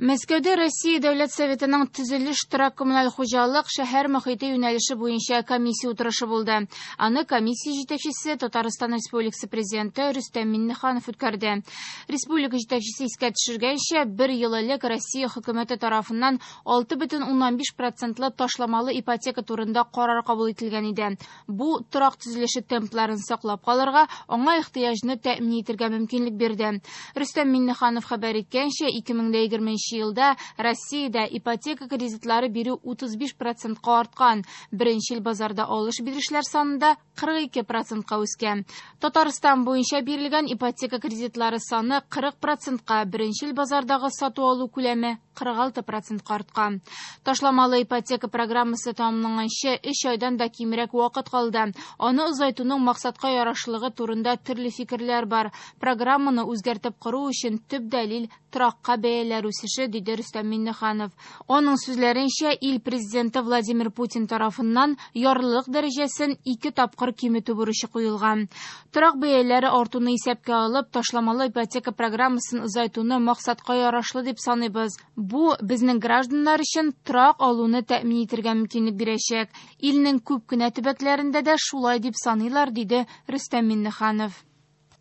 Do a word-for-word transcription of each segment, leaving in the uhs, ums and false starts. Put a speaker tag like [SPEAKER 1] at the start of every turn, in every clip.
[SPEAKER 1] Мәскәүдә Россия Дәүләт Советының төзелеш, торак коммуналь хуҗалык, шәһәр мөхите юнәлеше буенча комиссия утырышы булды. Аны комиссия җитәкчесе Татарстан Республикасы Президенты Рөстәм Миңнеханов үткәрде. Республика җитәкчесе искә төшергәнчә, бер ел элек Россия хөкүмәте тарафыннан алты бөтен уннан биш процентлы ташламалы ипотека турында карар кабул ителгән иде. Бу торак төзелеше темпларын саклап калырга, аңа ихтыяҗны тәэмин итәргә мөмкинлек бирде. Рөстәм Миңнеханов хәбәр иткәнчә, ике мең дә егерменче елда Россиядә ипотека кредитлары бирү утыз биш процентка арткан. Беренче ел базарда алыш-бирешләр санында кырык ике процентка үскән. Татарстан буенча бирелгән ипотека кредитлары саны кырык процентка, беренче ел базардагы сату алу күләме кырык алты процентка арткан. Ташламалы ипотека программасы тәмамланганчы өч айдан да кимрәк вакыт калды. Аны озайтуның максатка ярашлыгы турында төрле фикерләр бар. Программаны үзгәртеп кору өчен төп дәлил торакка бәяләр үсеше, диде Рөстәм Миңнеханов. Аның сүзләренчә, ил президенты Владимир Путин тарафыннан ярлылык дәрәҗәсен ике тапкыр киметү бурычы куелган. Торак бәяләре артуны исәпкә алып, ташламалы ипотека программасын озайтуны максатка ярашлы дип саныйбыз. Бу безнең гражданнар өчен торак алуны тәэмин итәргә мөмкинлек бирәчәк. Илнең күп кенә төбәкләрендә дә шулай дип саныйлар, диде Рөстәм Миңнеханов.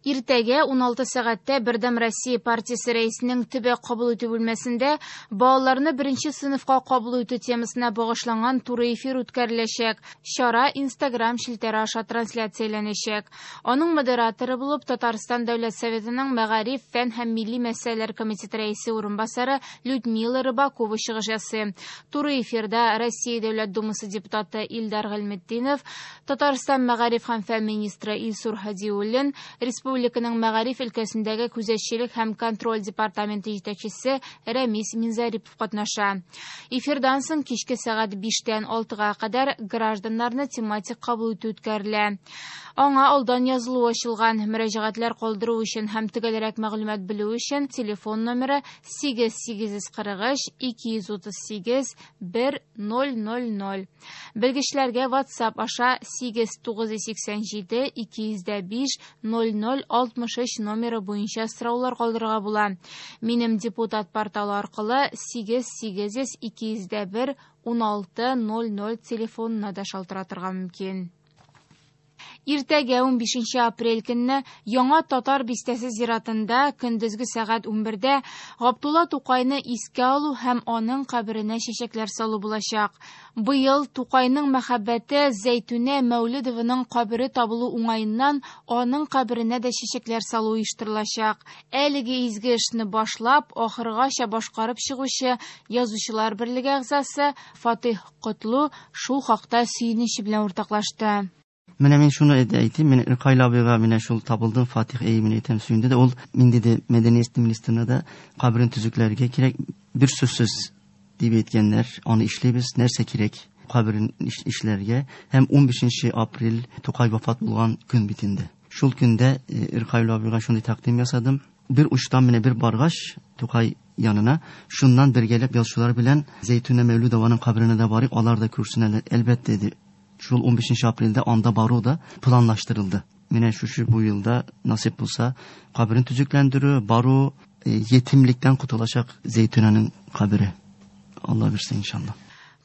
[SPEAKER 1] Иртәгә уналты сәгатьтә Бердәм Россия партиясе рәисенең төбәк кабул итү бүлмәсендә балаларны беренче сыйныфка кабул итү темасына багышланган туры эфир үткәреләчәк. Чара Instagram челтәре аша трансляцияләнәчәк. Аның модераторы булып Татарстан Дәүләт Советының Мәгариф, фән һәм милли мәсьәләләр комитеты рәисе урынбасары Людмила Рыбакова чыгыш ясый. Туры эфирда Россия Дәүләт Думасы депутаты Илдар Гыйльметдинов, Татарстан Мәгариф һәм фән министры Илсур Һадиуллин, Республиканың мәгариф өлкәсендәге күзәтчелек һәм контроль департаменты җитәкчесе Рәмис Минзарипов катнаша. Эфирдан соң кичке сәгать биштән алтыга кадәр гражданнарны тематик кабул итү үткәрелә. Аңа алдан язылу ачылган. Мөрәҗәгатьләр калдыру өчен һәм төгәлрәк мәгълүмат белү өчен телефон номеры сигез сигез йөз кырык өч ике йөз утыз сигез бер ноль ноль ноль. Белгечләргә WhatsApp аша сигез тугыз йөз сиксән җиде ике йөз дә биш ноль ноль алтмыш өч номеры буенча сораулар калдырырга була. Минем депутат порталы аркылы сигез сигез йөз ике йөз дә бер уналты ноль ноль телефонына да шалтыратырга мөмкин. Иртәгә унбишенче апрель көнне Яңа Татар бистәсе зиратында көндезге сәгать унбердә Габдулла Тукайны искә алу һәм аның каберенә чәчәкләр салу булачак. Быел Тукайның мәхәббәте Зәйтүнә Мәүлидованың кабере табылу уңаеннан аның каберенә дә чәчәкләр салу оештырылачак. Әлеге изге эшне башлап, ахыргача башкарып чыгучы Язучылар берлеге әгъзасы Фатих Котлу шул хакта сөенече белән уртаклашты.
[SPEAKER 2] Менә мин шуны әйтим, мин Иркайл абыйга менә шул табылдым, Фатих эй мин әйтәм сөенде дә, ул мин диде мәдәният министрына да каберен төзекләргә кирәк, бер сүзсез дип әйткәннәр, аны эшлибез, нәрсә кирәк каберен эшләргә. Һәм унбишенче апрель Тукай вафат булган көн бит инде. Шул көндә Иркайл абыйга шундый тәкъдим ясадым. Бер учтан менә бер баргач Тукай янына, шуннан бергәләп язучылар белән Зәйтүнә Мәүлидованың каберенә дә барып, алар да күрсен әлбәттә диде. Шул унбишенче апрельдә анда бару да планлаштырылды. Менә шушы бу елда насип булса, каберен төзекләндерү, бару, ятимлектән котылачак Зәйтүнәнең кабере. Алла бирсен иншалла.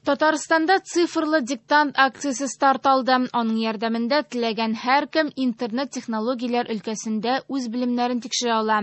[SPEAKER 1] Татарстанда цифрлы диктант акциясе старт алды. Аның ярдәмендә теләгән һәркем интернет технологияләр өлкәсендә үз белемнәрен тикшерә ала.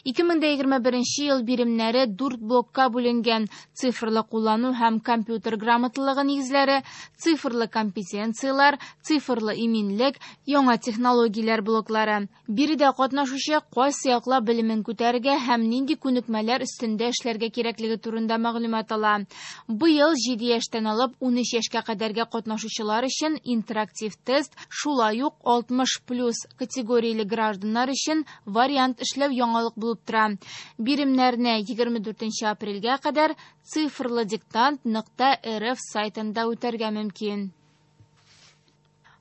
[SPEAKER 1] Ике мең дә егерме беренче ел биремнәре дүрт блокка бүленгән: цифрлы куллану һәм компьютер грамоталыгы нигезләре, цифрлы компетенцияләр, цифрлы иминлек, яңа технологияләр блоклары. Биредә катнашучы кайсы яклап белемен күтәрергә һәм нинди күнекмәләр өстендә эшләргә кирәклеге турында мәгълүмат ала. Быел җиде яшьтән алып ун өч яшькә кадәрге катнашучылар өчен интерактив тест, шулай ук алтмыш плюс категорияле гражданнар өчен вариант эшләү яңалык булып тора. Биремнәрне егерме дүртенче апрельгә кадәр цифрлы диктант нокта рф сайтында үтәргә мөмкин.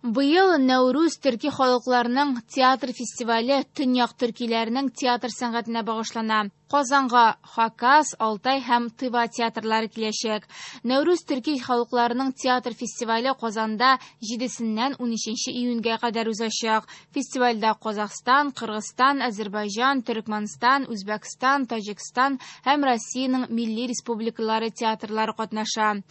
[SPEAKER 1] Быел Нәүрүз төрки халыкларының театр фестивале төньяк төркиләренең театр сәнгатенә багышлана. Казанга Хакас, Алтай һәм Тыва театрлары киләчәк. Нәүрүз төрки халыкларының театр фестивале Казанда җидесеннән унөченче июньгә кадәр узачак. Фестивальдә Казахстан, Кыргызстан, Азербайҗан, Төркмәнстан, Үзбәкстан, Таҗикстан һәм Россиянең милли республикалары театрлары катнаша.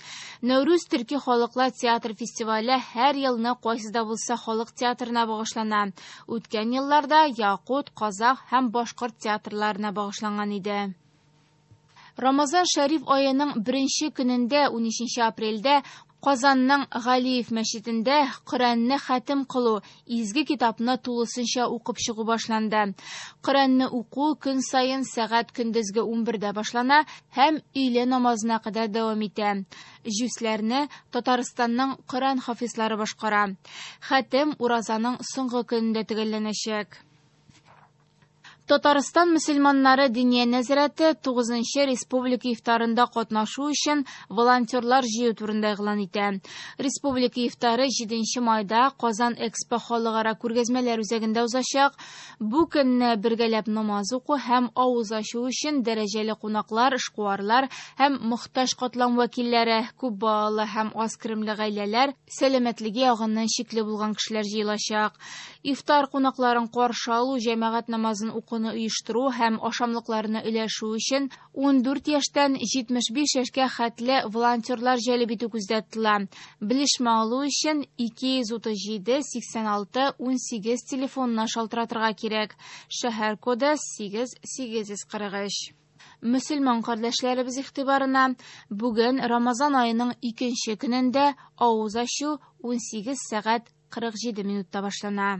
[SPEAKER 1] Нәүрүз төрки халыклар театр фестивале һәр елны кайсы да булса халык театрына багышлана. Үткән елларда Якут, Казах һәм башкорт театрларына багышланган иде. Рамазан Шәриф аеның беренче көнендә, унөченче апрельдә, Казанның Галиев мәчетендә Коръәнне хәтем кылу, изге китапны тулысынча укып чыгу башланды. Коръәнне уку көн саен сәгать көндезге унбердә башлана һәм өйлә намазына кадәр дәвам итә. Җүсләрне Татарстанның Коръән хафизлары башкара. Хәтем уразаның соңгы көнендә төгәлләнәчәк. Татарстан мөселманнары Диния нәзарәте тугызынчы республика ифтарында катнашу өчен волонтерлар җыю турында игълан итә. Республика ифтары җиденче майда Казан Экспо халыкара күргәзмәләр үзәгендә узачак. Бу көнне бергәләп намаз уку һәм авыз ачу өчен дәрәҗәле кунаклар, эшкуарлар һәм мохтаҗ катлам вәкилләре, күп балалы һәм аз керемле гаиләләр, сәламәтлеге ягыннан шикле булган кешеләр җыелачак. Ифтар кунакларын каршы алу, җәмәгать намазын уку оештыру һәм ашамлыкларны өләшү өчен ундүрт яшьтән җитмеш биш яшькә хәтле волонтерлар җәлеп итү күздә тотыла. Белешмә алу өчен ике йөз утыз җиде сиксән алты унсигез телефонына шалтыратырга кирәк. Шәһәр коды сигез сигез йөз кырык өч. Мөселман кардәшләребез игътибарына бүген Рамазан аеның икенче көнендә авыз ачу унсигез сәгать кырык җиде минутта башлана.